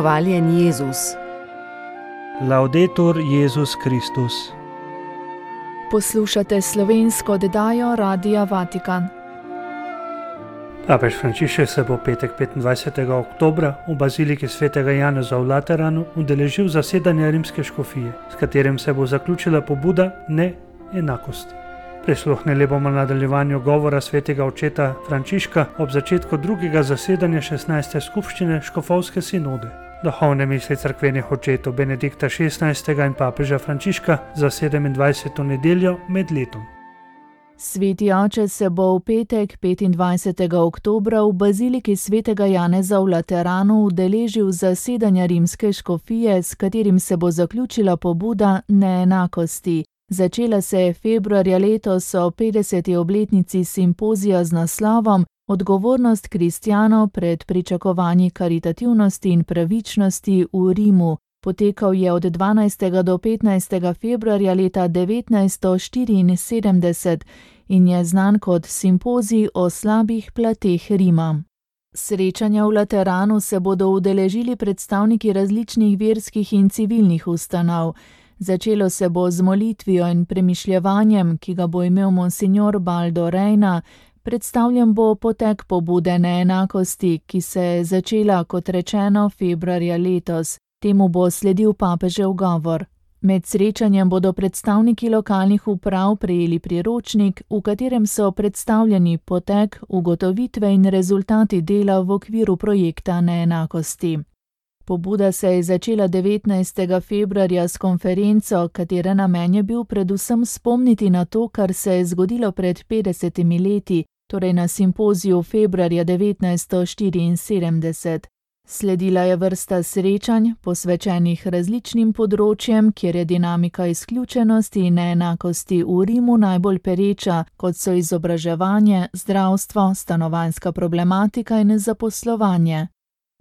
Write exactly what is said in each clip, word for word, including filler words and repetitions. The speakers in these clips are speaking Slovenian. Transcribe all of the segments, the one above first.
Hvaljen Jezus. Laudetur Jezus Kristus. Poslušate slovensko oddajo Radia Vatikan. Papež Frančišek se bo petek petindvajsetega oktobra v baziliki svetega Janeza v Lateranu udeležil zasedanja rimske škofije, s katerim se bo zaključila pobuda neenakosti. Prisluhnili bomo nadaljevanju govora svetega očeta Frančiška ob začetku drugega zasedanja šestnajste skupščine škofovske sinode. Duhovne misli cerkvenih očetov Benedikta šestnajstega in papeža Frančiška za sedemindvajseto nedeljo med letom. Sveti oče se bo v petek petindvajsetega oktobra v baziliki svetega Janeza v Lateranu udeležil zasedanja rimske škofije, s katerim se bo zaključila pobuda neenakosti. Začela se je februarja letos o petdeseti obletnici simpozija z naslovom Odgovornost kristjanov pred pričakovanji karitativnosti in pravičnosti v Rimu. Potekal je od dvanajstega do petnajstega februarja leta devetnajststo štiriinsedemdeset in je znan kot simpozij o slabih plateh Rima. Srečanja v Lateranu se bodo udeležili predstavniki različnih verskih in civilnih ustanov. Začelo se bo z molitvijo in premišljevanjem, ki ga bo imel monsignor Baldo Reina. Predstavljen bo potek pobude neenakosti, ki se je začela, kot rečeno, februarja letos. Temu bo sledil papežev govor. Med srečanjem bodo predstavniki lokalnih uprav prejeli priročnik, v katerem so predstavljeni potek, ugotovitve in rezultati dela v okviru projekta neenakosti. Pobuda se je začela devetnajstega februarja s konferenco, katere namen je bil predvsem spomniti na to, kar se je zgodilo pred petdesetimi leti, torej na simpoziju februarja devetnajststo štiriinsedemdeset. Sledila je vrsta srečanj, posvečenih različnim področjem, kjer je dinamika izključenosti in neenakosti v Rimu najbolj pereča, kot so izobraževanje, zdravstvo, stanovanjska problematika in zaposlovanje.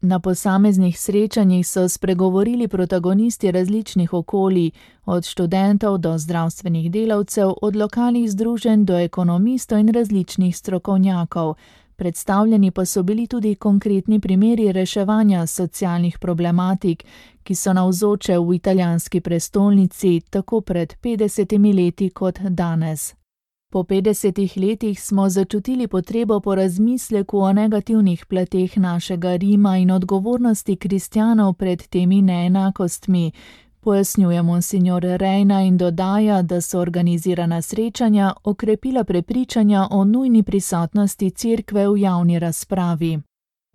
Na posameznih srečanjih so spregovorili protagonisti različnih okolij, od študentov do zdravstvenih delavcev, od lokalnih združenj do ekonomistov in različnih strokovnjakov. Predstavljeni pa so bili tudi konkretni primeri reševanja socialnih problematik, ki so navzoče v italijanski prestolnici tako pred petdesetimi leti kot danes. Po petdesetih letih smo začutili potrebo po razmisleku o negativnih plateh našega Rima in odgovornosti kristjanov pred temi neenakostmi, pojasnjuje monsignor Reina in dodaja, da so organizirana srečanja okrepila prepričanja o nujni prisotnosti cerkve v javni razpravi.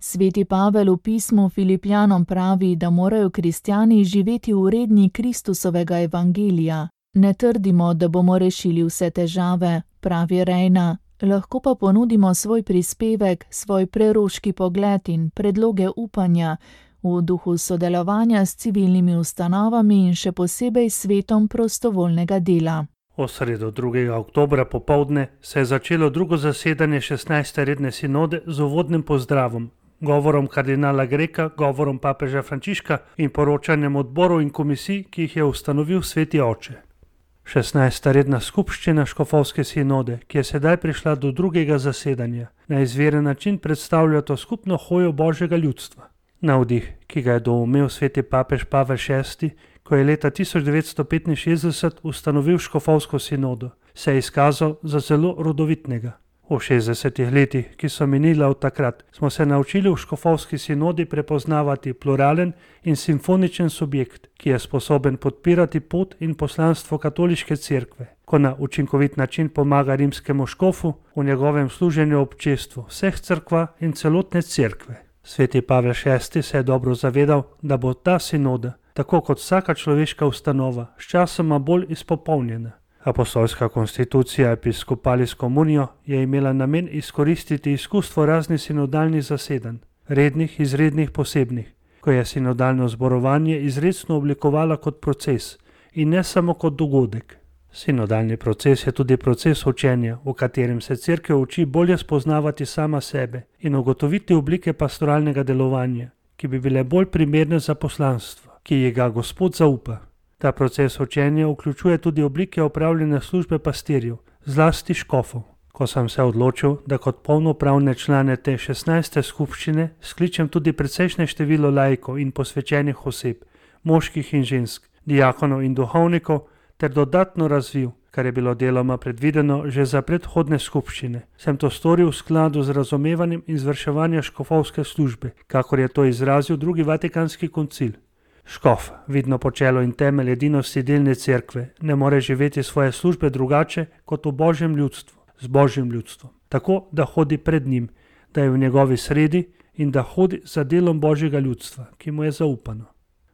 Sveti Pavel v pismu Filipljanom pravi, da morajo kristjani živeti v redni Kristusovega evangelija. Ne trdimo, da bomo rešili vse težave, pravi Reina, lahko pa ponudimo svoj prispevek, svoj preroški pogled in predloge upanja v duhu sodelovanja s civilnimi ustanovami in še posebej svetom prostovoljnega dela. V sredo drugega oktobra popoldne se je začelo drugo zasedanje šestnajste redne sinode z uvodnim pozdravom, govorom kardinala Greka, govorom papeža Frančiška in poročanjem odborov in komisij, ki jih je ustanovil sveti oče. šestnajsta redna skupščina škofovske sinode, ki je sedaj prišla do drugega zasedanja, na izveren način predstavlja to skupno hojo Božjega ljudstva. Navdih, ki ga je doumel sveti papež Pavel šesti, ko je leta tisoč devetsto petinšestdeset ustanovil škofovsko sinodo, se je izkazal za zelo rodovitnega. V šestdesetih letih, ki so minila od takrat, smo se naučili v škofovski sinodi prepoznavati pluralen in simfoničen subjekt, ki je sposoben podpirati pot in poslanstvo katoliške cerkve, ko na učinkovit način pomaga rimskemu škofu v njegovem služenju občestvu vseh cerkva in celotne cerkve. Sveti Pavel šesti se je dobro zavedal, da bo ta sinoda, tako kot vsaka človeška ustanova, sčasoma bolj izpopolnjena. Apostolska konstitucija Episcopalis Communio je imela namen izkoristiti izkustvo raznih sinodalnih zasedanj, rednih, izrednih, posebnih, ko je sinodalno zborovanje izrecno oblikovala kot proces in ne samo kot dogodek. Sinodalni proces je tudi proces učenja, v katerem se cerkev uči bolje spoznavati sama sebe in ugotoviti oblike pastoralnega delovanja, ki bi bile bolj primerne za poslanstvo, ki ji ga Gospod zaupa. Ta proces učenja vključuje tudi oblike opravljene službe pastirjev, zlasti škofov. Ko sem se odločil, da kot polnopravne člane te šestnajste skupščine skličem tudi precejšnje število laikov in posvečenih oseb, moških in žensk, diakonov in duhovnikov, ter dodatno razvil, kar je bilo deloma predvideno že za predhodne skupščine, sem to storil v skladu z razumevanjem izvrševanja škofovske službe, kakor je to izrazil drugi Vatikanski koncil. Škof, vidno počelo in temelj edinosti delne cerkve, ne more živeti svoje službe drugače kot v Božjem ljudstvu, z Božjim ljudstvom, tako da hodi pred njim, da je v njegovi sredi in da hodi za delom Božjega ljudstva, ki mu je zaupano.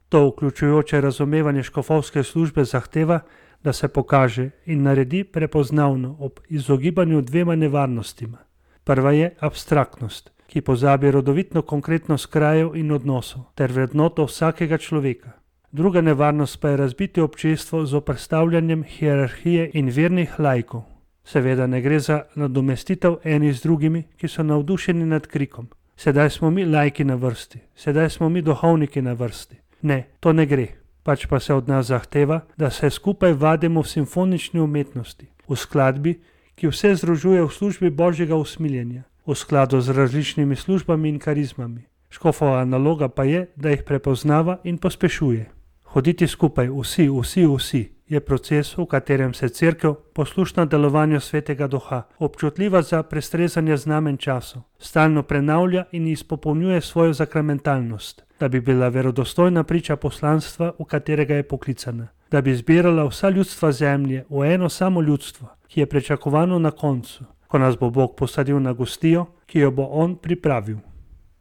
To vključujoče razumevanje škofovske službe zahteva, da se pokaže in naredi prepoznavno ob izogibanju dvema nevarnostima. Prva je abstraktnost, ki pozabi rodovitno konkretnost krajev in odnosov ter vrednoto vsakega človeka. Druga nevarnost pa je razbiti občestvo z oprstavljanjem hierarhije in vernih laikov. Seveda ne gre za nadomestitev eni z drugimi, ki so navdušeni nad krikom. Sedaj smo mi laiki na vrsti, sedaj smo mi duhovniki na vrsti. Ne, to ne gre. Pač pa se od nas zahteva, da se skupaj vadimo v simfonični umetnosti, v skladbi, ki vse združuje v službi Božjega usmiljenja, v skladu z različnimi službami in karizmami. Škofova naloga pa je, da jih prepoznava in pospešuje. Hoditi skupaj, vsi, vsi, vsi, je proces, v katerem se cerkev, poslušna delovanju Svetega Duha, občutljiva za prestrezanje znamen časov, stalno prenavlja in izpopolnjuje svojo zakramentalnost, da bi bila verodostojna priča poslanstva, v katerega je poklicana, da bi zbirala vsa ljudstva zemlje v eno samo ljudstvo, ki je pričakovano na koncu, ko nas bo Bog posadil na gostijo, ki jo bo On pripravil.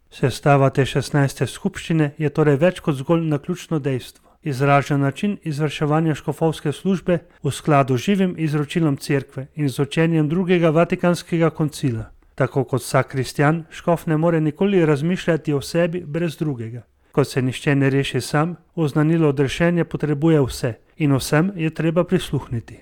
Sestava te šestnajste skupščine je torej več kot zgolj naključno dejstvo, izražen način izvrševanja škofovske službe v skladu z živim izročilom cerkve in z učenjem drugega Vatikanskega koncila. Tako kot vsak kristjan, škof ne more nikoli razmišljati o sebi brez drugega. Ko se nišče ne reši sam, oznanilo odrešenje potrebuje vse in vsem je treba prisluhniti.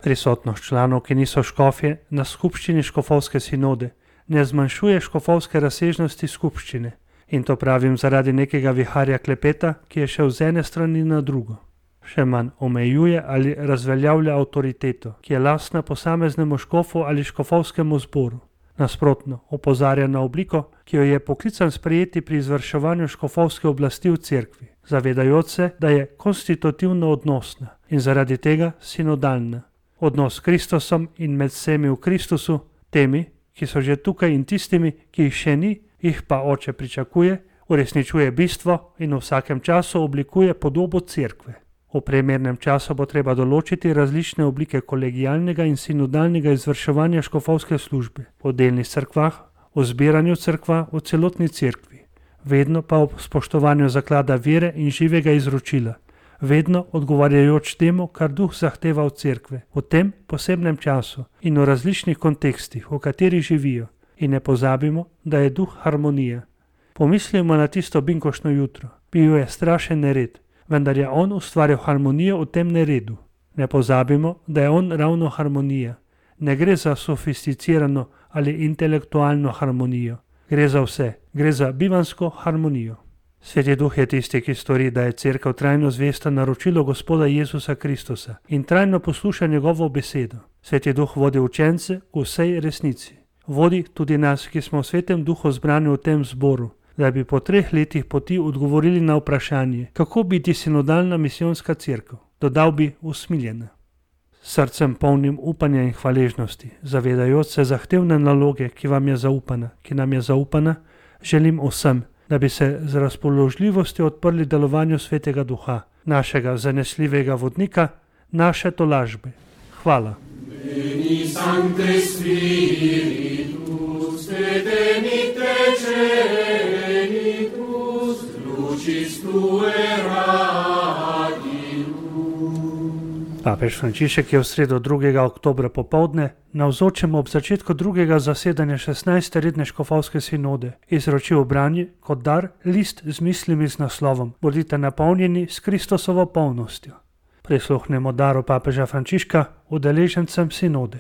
Prisotnost članov, ki niso škofje, na skupščini škofovske sinode ne zmanjšuje škofovske razsežnosti skupščine. In to pravim zaradi nekega viharja klepeta, ki je šel z ene strani na drugo. Še manj omejuje ali razveljavlja avtoriteto, ki je lastna posameznemu škofu ali škofovskemu zboru. Nasprotno, opozarja na obliko, ki jo je poklican sprejeti pri izvrševanju škofovske oblasti v cerkvi, zavedajoč se, da je konstitutivno odnosna in zaradi tega sinodalna. Odnos s Kristusom in med vsemi v Kristusu, temi, ki so že tukaj in tistimi, ki jih še ni, jih pa Oče pričakuje, uresničuje bistvo in v vsakem času oblikuje podobo cerkve. V primernem času bo treba določiti različne oblike kolegialnega in sinodalnega izvrševanja škofovske službe v delnih cerkvah, v zbiranju cerkva, v celotni cerkvi, vedno pa ob spoštovanju zaklada vere in živega izročila, vedno odgovarjajoč temu, kar Duh zahteva od cerkve, v tem posebnem času in v različnih kontekstih, v katerih živijo. In ne pozabimo, da je Duh harmonija. Pomislimo na tisto binkoštno jutro. Bil je strašen nered, vendar je On ustvaril harmonijo v tem neredu. Ne pozabimo, da je On ravno harmonija. Ne gre za sofisticirano ali intelektualno harmonijo. Gre za vse. Gre za bivansko harmonijo. Sveti Duh je tisti, ki stori, da je cerkev trajno zvesta naročilo Gospoda Jezusa Kristusa in trajno posluša njegovo besedo. Sveti Duh vodi učence v vsej resnici. Vodi tudi nas, ki smo v Svetem Duhu zbrani v tem zboru, da bi po treh letih poti odgovorili na vprašanje, kako biti sinodalna misijonska cerkev, dodal bi usmiljena. Srcem polnim upanja in hvaležnosti, zavedajoč se zahtevne naloge, ki vam je zaupana, ki nam je zaupana, želim vsem, da bi se z razpoložljivostjo odprli delovanju Svetega Duha, našega zanesljivega vodnika, naše tolažbe. Hvala. Veni Sancte Spiritus, Detenite Cenitus, Lucis Tue radium. Papež Frančišek je v sredo drugega oktobra popoldne navzočem ob začetku drugega zasedanja šestnajste redne škofovske sinode izročil branje kot dar list z mislimi z naslovom Bodite napolnjeni s Kristusovo polnostjo. Prisluhnemo daru papeža Frančiška udeležencem sinode.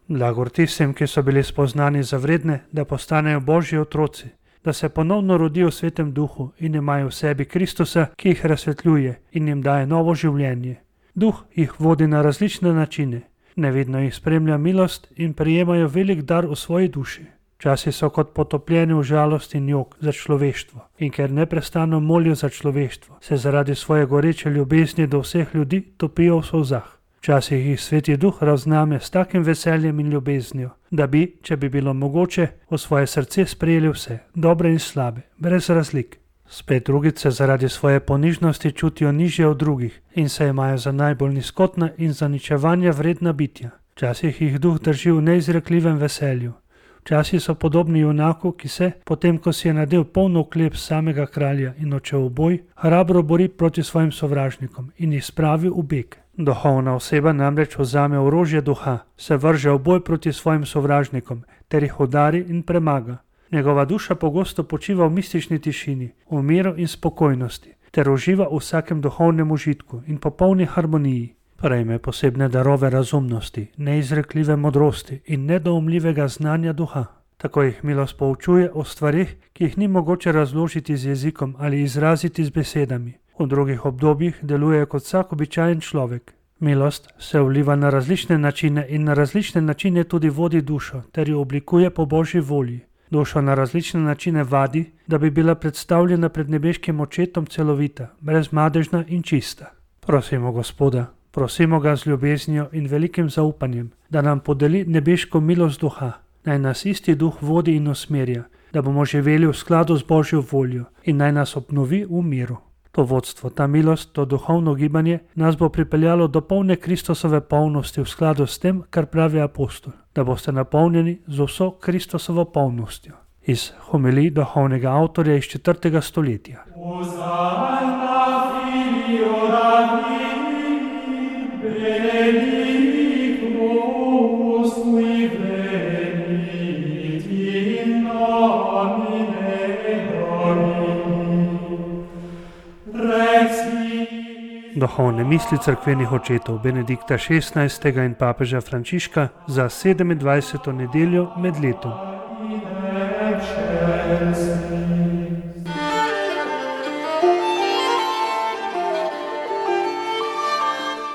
Blagor tistim, ki so bili spoznani za vredne, da postanejo Božji otroci, da se ponovno rodijo v Svetem Duhu in imajo v sebi Kristusa, ki jih razsvetljuje in jim daje novo življenje. Duh jih vodi na različne načine, Nevidno jih spremlja milost in prijemajo velik dar v svoji duši. Včasih so kot potopljeni v žalost in jok za človeštvo in ker neprestano molijo za človeštvo, se zaradi svoje goreče ljubezni do vseh ljudi topijo v solzah. Včasih jih Sveti Duh razname s takim veseljem in ljubeznijo, da bi, če bi bilo mogoče, v svoje srce sprejeli vse, dobre in slabe, brez razlik. Spet drugič se zaradi svoje ponižnosti čutijo nižje od drugih in se imajo za najbolj nizkotna in zaničevanja vredna bitja. Včasih jih Duh drži v neizrekljivem veselju. Včasih so podobni junaku, ki se, potem ko si je nadel polno oklep samega kralja in odšel v boj, hrabro bori proti svojim sovražnikom in jih spravi v beg. Duhovna oseba namreč vzame orožje duha, se vrže v boj proti svojim sovražnikom ter jih udari in premaga. Njegova duša pogosto počiva v mistični tišini, v miru in spokojnosti, ter uživa v vsakem duhovnem užitku in popolni harmoniji. Prejme posebne darove razumnosti, neizrekljive modrosti in nedoumljivega znanja duha. Tako jih milost poučuje o stvarih, ki jih ni mogoče razložiti z jezikom ali izraziti z besedami. V drugih obdobjih deluje kot vsak običajen človek. Milost se vliva na različne načine in na različne načine tudi vodi dušo ter jo oblikuje po Božji volji. Dušo na različne načine vadi, da bi bila predstavljena pred nebeškim očetom celovita, brezmadežna in čista. Prosimo Gospoda, prosimo ga z ljubeznijo in velikim zaupanjem, da nam podeli nebeško milost duha, naj nas isti duh vodi in usmerja, da bomo živeli v skladu z Božjo voljo in naj nas obnovi v miru. To vodstvo, ta milost, to duhovno gibanje nas bo pripeljalo do polne Kristusove polnosti v skladu s tem, kar pravi apostol, da boste napolnjeni z vso Kristusovo polnostjo. Iz homilij duhovnega avtorja iz četrtega stoletja. Duhovne misli cerkvenih očetov Benedikta šestnajstega in papeža Frančiška za sedemindvajseto nedeljo med letom.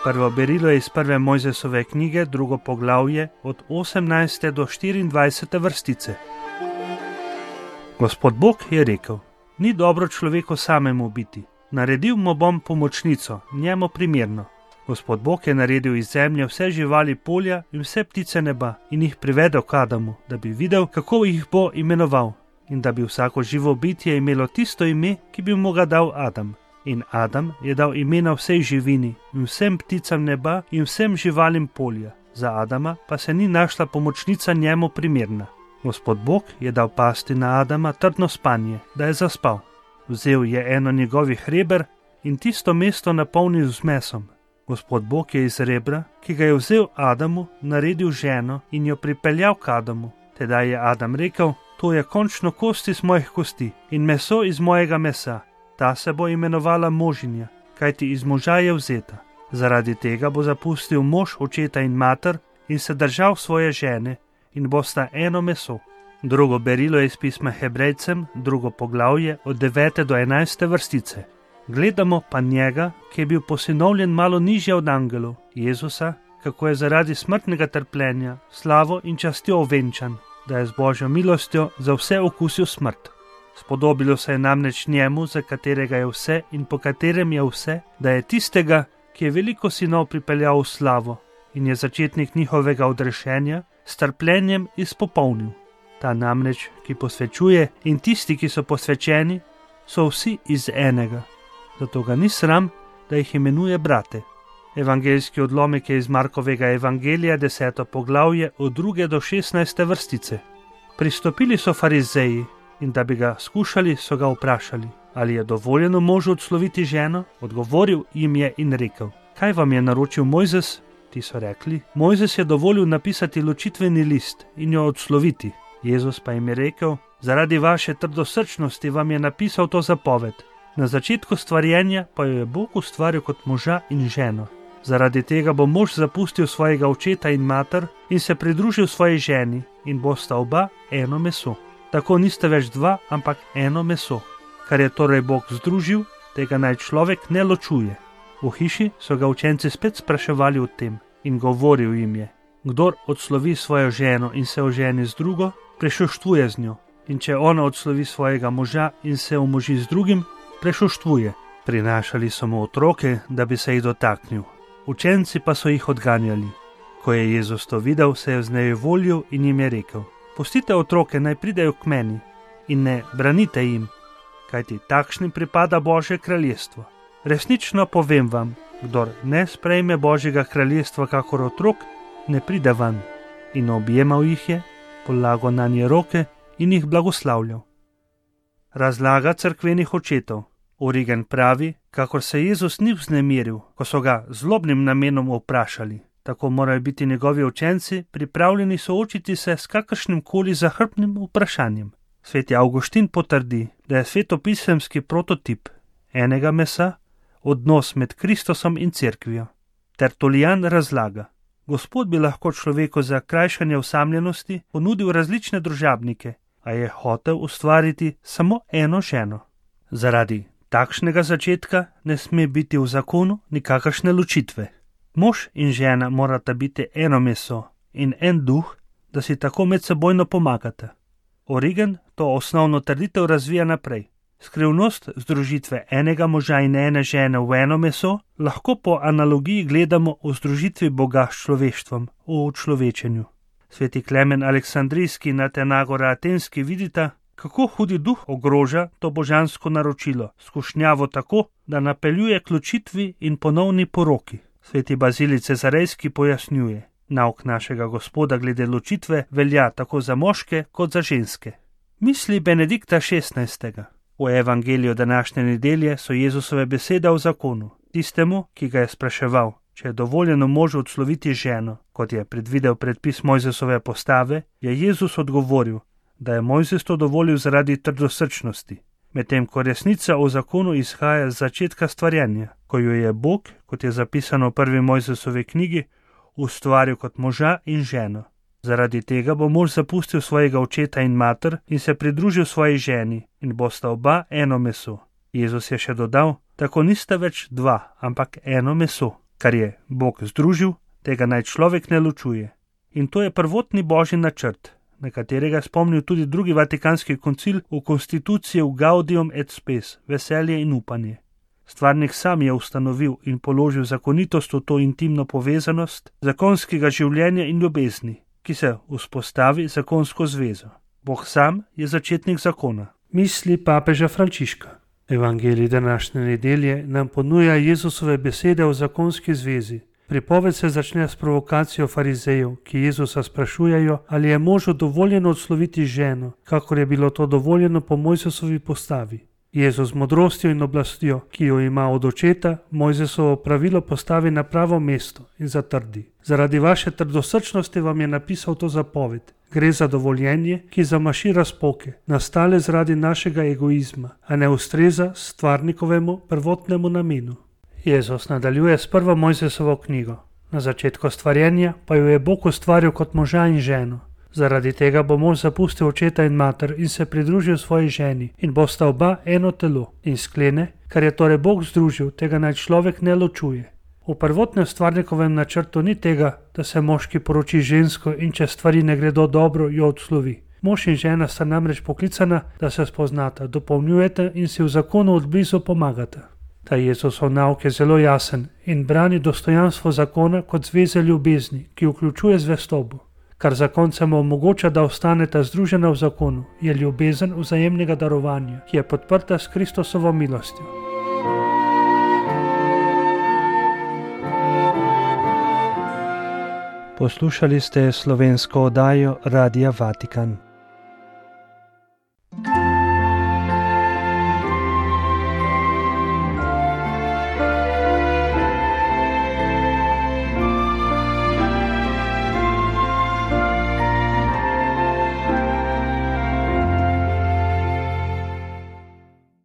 Prvo berilo je iz prve Mojzesove knjige, drugo poglavje, od osemnajste do štiriindvajsete vrstice. Gospod Bog je rekel: ni dobro človeku samemu biti. Naredil mu bom pomočnico, njemu primerno. Gospod Bog je naredil iz zemlje vse živali polja in vse ptice neba in jih privedel k Adamu, da bi videl, kako jih bo imenoval in da bi vsako živo bitje imelo tisto ime, ki bi mu ga dal Adam. In Adam je dal imena vsej živini in vsem pticam neba in vsem živalim polja. Za Adama pa se ni našla pomočnica njemu primerna. Gospod Bog je dal pasti na Adama trdno spanje, da je zaspal. Vzel je eno njegovih reber in tisto mesto napolnil z mesom. Gospod Bog je iz rebra, ki ga je vzel Adamu, naredil ženo in jo pripeljal k Adamu. Tedaj je Adam rekel: to je končno kost iz mojih kosti in meso iz mojega mesa. Ta se bo imenovala možinja, kajti iz moža je vzeta. Zaradi tega bo zapustil mož očeta in mater in se držal svoje žene in bosta eno meso. Drugo berilo je iz pisma Hebrejcem, drugo poglavje, od devete do enajste vrstice. Gledamo pa njega, ki je bil posinovljen malo nižje od angelov, Jezusa, kako je zaradi smrtnega trpljenja, slavo in častjo ovenčan, da je z Božjo milostjo za vse okusil smrt. Spodobilo se je namreč njemu, za katerega je vse in po katerem je vse, da je tistega, ki je veliko sinov pripeljal v slavo in je začetnik njihovega odrešenja, s trpljenjem izpopolnil. Ta namreč, ki posvečuje, in tisti, ki so posvečeni, so vsi iz enega. Zato ga ni sram, da jih imenuje brate. Evangeljski odlomek je iz Markovega evangelija, deseto poglavje, od druge do šestnajste vrstice. Pristopili so farizeji in da bi ga skušali, so ga vprašali, ali je dovoljeno možu odsloviti ženo. Odgovoril jim je in rekel: kaj vam je naročil Mojzes? Ti so rekli: Mojzes je dovolil napisati ločitveni list in jo odsloviti. Jezus pa jim je rekel: zaradi vaše trdosrčnosti vam je napisal to zapoved. Na začetku stvarjenja pa jo je Bog ustvaril kot moža in ženo. Zaradi tega bo mož zapustil svojega očeta in mater in se pridružil svoji ženi in bosta oba eno meso. Tako niste več dva, ampak eno meso. Kar je torej Bog združil, tega naj človek ne ločuje. V hiši so ga učenci spet spraševali o tem. In govoril jim je: kdor odslovi svojo ženo in se oženi z drugo, prešuštvuje z njo. In če ona odslovi svojega moža in se omoži z drugim, prešuštvuje. Prinašali so mu otroke, da bi se jih dotaknil. Učenci pa so jih odganjali. Ko je Jezus to videl, se je vznejevoljil in jim je rekel: pustite otroke, naj pridejo k meni in ne branite jim, kajti takšnim pripada Božje kraljestvo. Resnično povem vam, kdor ne sprejme Božjega kraljestva kakor otrok, ne pride van. In objemal jih je, polagal nanje roke in jih blagoslavljal. Razlaga cerkvenih očetov. Origen pravi, kakor se Jezus ni vznemiril, ko so ga z zlobnim namenom vprašali. Tako morajo biti njegovi učenci pripravljeni soočiti se s kakršnim koli zahrbtnim vprašanjem. Sveti Avguštin potrdi, da je svetopisemski prototip enega mesa odnos med Kristusom in cerkvijo. Tertulijan razlaga: Gospod bi lahko človeku za krajšanje osamljenosti ponudil različne družabnike, a je hotel ustvariti samo eno ženo. Zaradi takšnega začetka ne sme biti v zakonu nikakršne ločitve. Mož in žena morata biti eno meso in en duh, da si tako medsebojno pomagata. Origen to osnovno trditev razvija naprej. Skrivnost združitve enega moža in ene žene v eno meso lahko po analogiji gledamo v združitvi Boga s človeštvom, v učlovečenju. Sveti Klemen Aleksandrijski in Atenagora Atenski vidita, kako hudi duh ogroža to božansko naročilo, skušnjavo tako, da napeljuje k ločitvi in ponovni poroki. Sveti Bazilij Cezarejski pojasnjuje: nauk našega Gospoda glede ločitve velja tako za moške kot za ženske. Misli Benedikta šestnajstega. V evangeliju današnje nedelje so Jezusove besede o zakonu. Tistemu, ki ga je spraševal, če je dovoljeno možu odsloviti ženo, kot je predvidel predpis Mojzesove postave, je Jezus odgovoril, da je Mojzes to dovolil zaradi trdosrčnosti, medtem ko resnica o zakonu izhaja z začetka stvarjenja, ko jo je Bog, kot je zapisano v prvi Mojzesovi knjigi, ustvaril kot moža in ženo. Zaradi tega bo mož zapustil svojega očeta in mater in se pridružil svoji ženi in bosta oba eno meso. Jezus je še dodal, tako nista več dva, ampak eno meso. Kar je Bog združil, tega naj človek ne ločuje. In to je prvotni Božji načrt, na katerega spomnil tudi drugi Vatikanski koncil v konstituciji Gaudium et Spes, veselje in upanje. Stvarnik sam je ustanovil in položil zakonitost v to intimno povezanost zakonskega življenja in ljubezni, ki se vzpostavi zakonsko zvezo. Bog sam je začetnik zakona. Misli papeža Frančiška. Evangelij današnje nedelje nam ponuja Jezusove besede o zakonski zvezi. Pripoved se začne s provokacijo farizejev, ki Jezusa sprašujejo, ali je možu dovoljeno odsloviti ženo, kakor je bilo to dovoljeno po Mojzesovi postavi. Jezus z modrostjo in oblastjo, ki jo ima od očeta, Mojzesovo pravilo postavi na pravo mesto in zatrdi: zaradi vaše trdosrčnosti vam je napisal to zapoved. Gre za dovoljenje, ki zamaši razpoke, nastale zaradi našega egoizma, a ne ustreza stvarnikovemu prvotnemu namenu. Jezus nadaljuje s prvo Mojzesovo knjigo. Na začetku stvarjenja pa jo je Bog ustvaril kot moža in ženo. Zaradi tega bo mož zapustil očeta in mater in se pridružil svoji ženi in bosta oba eno telo. In sklene, kar je torej Bog združil, tega naj človek ne ločuje. V prvotnem stvarnikovem načrtu ni tega, da se moški poroči žensko in če stvari ne gredo dobro, jo odslovi. Mož in žena sta namreč poklicana, da se spoznata, dopolnjujete in si v zakonu od blizu pomagata. Ta Jezusov nauk je zelo jasen in brani dostojanstvo zakona kot zveze ljubezni, ki vključuje zvestobo. Kar zakoncem omogoča, da ostaneta združena v zakonu, je ljubezen vzajemnega darovanja, ki je podprta s Kristusovo milostjo. Poslušali ste slovensko oddajo Radia Vatikan.